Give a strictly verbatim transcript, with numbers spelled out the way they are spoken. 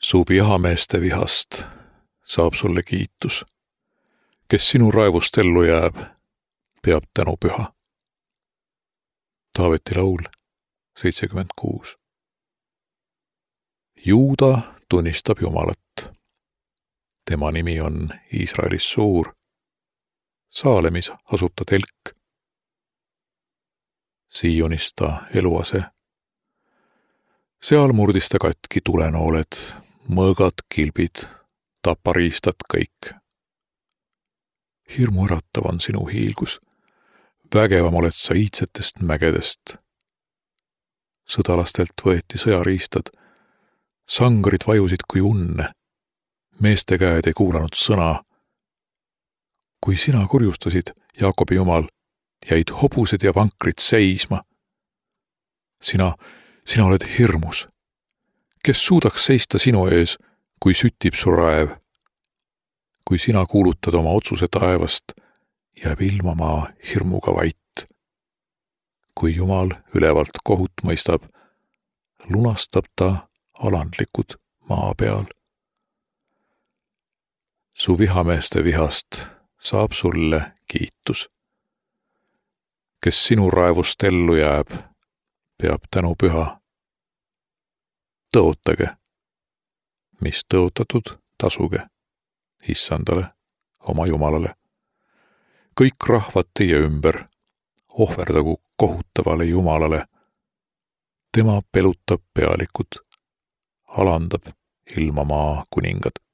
Su vihameeste vihast saab sulle kiitus. Kes sinu raevust ellu jääb, peab tänu püha. Taaveti laul seitsekümmend kuus. Juuda tunnistab Jumalat. Tema nimi on Iisraelis suur. Saalemis asub ta telk. Siionist ta eluase. Seal murdis ta katki tulenooled, mõõgad, kilbid, tapariistad kõik. Hirmu äratav on sinu hiilgus. Vägevam oled sa iidsetest mägedest. Sõdalastelt võeti sõjariistad. Sangarid vajusid kui unne. Meeste käed ei kuulanud sõna. Kui sina kurjustasid, Jaakobi Jumal, jäid hobused ja vankrid seisma. Sina, sina oled hirmus. Kes suudaks seista sinu ees, kui süttib su raev? Kui sina kuulutad oma otsuse taevast, jääb ilmamaa hirmuga vait. Kui Jumal ülevalt kohut mõistab, lunastab ta alandlikud maa peal. Su vihameeste vihast saab sulle kiitus. Kes sinu raevust ellu jääb, peab tänu püha. Tõotage, mis tõotatud, tasuge Issandale, oma Jumalale. Kõik rahvad teie ümber, ohverdagu kohutavale Jumalale. Tema pelutab pealikud, alandab ilmamaa kuningad.